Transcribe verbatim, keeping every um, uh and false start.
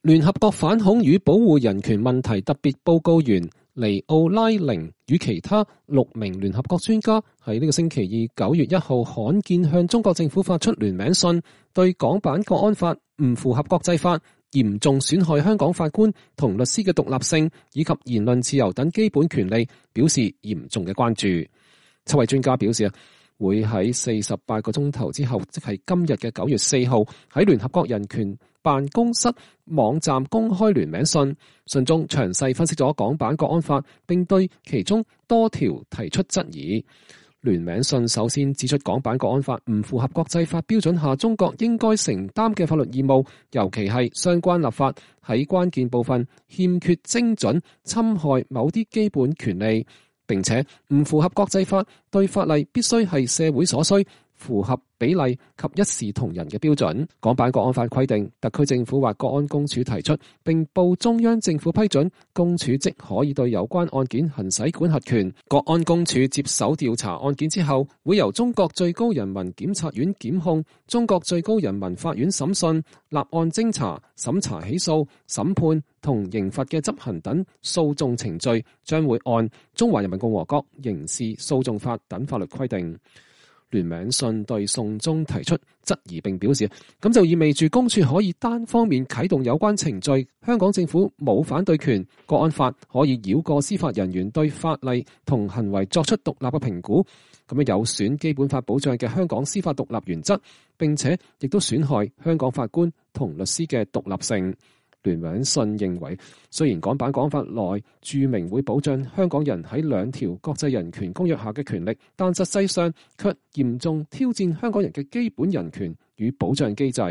聯合國反恐與保護人權問題特別報告員尼奧拉寧與其他六名聯合國專家喺呢個星期二九月一號罕見向中國政府發出聯名信，對港版國安法唔符合國際法、嚴重損害香港法官同律師嘅獨立性以及言論自由等基本權利表示嚴重嘅關注。七位專家表示啊，會喺四十八個鐘頭之後，即係今日嘅九月四號，喺聯合國人權辦公室網站公開聯名信，信中詳細分析咗港版國安法，並對其中多條提出質疑。聯名信首先指出，港版國安法唔符合國際法標準下中國應該承擔嘅法律義務，尤其係相關立法喺關鍵部分欠缺精準，侵害某啲基本權利，並且唔符合國際法對法例必須係社會所需、符合比例及一視同仁嘅標準。港版國安法規定，特區政府或國安公署提出並報中央政府批准，公署即可以對有關案件行使管轄權。國安公署接手調查案件之後，會由中國最高人民檢察院檢控、中國最高人民法院審訊、立案偵查、審查起訴、審判同刑罰嘅執行等訴訟程序，將會按中華人民共和國刑事訴訟法等法律規定。聯名信對信中提出質疑，並表示咁就意味住公署可以單方面啟動有關程序，香港政府冇反對權，國安法可以繞過司法人員對法例同行為作出獨立嘅評估，咁樣有損基本法保障嘅香港司法獨立原則，並且亦都損害香港法官同律師嘅獨立性。聯名信認為，雖然港版國安法內註明會保障香港人喺兩條國際人權公約下嘅權力，但實際上卻嚴重挑戰香港人嘅基本人權與保障機制。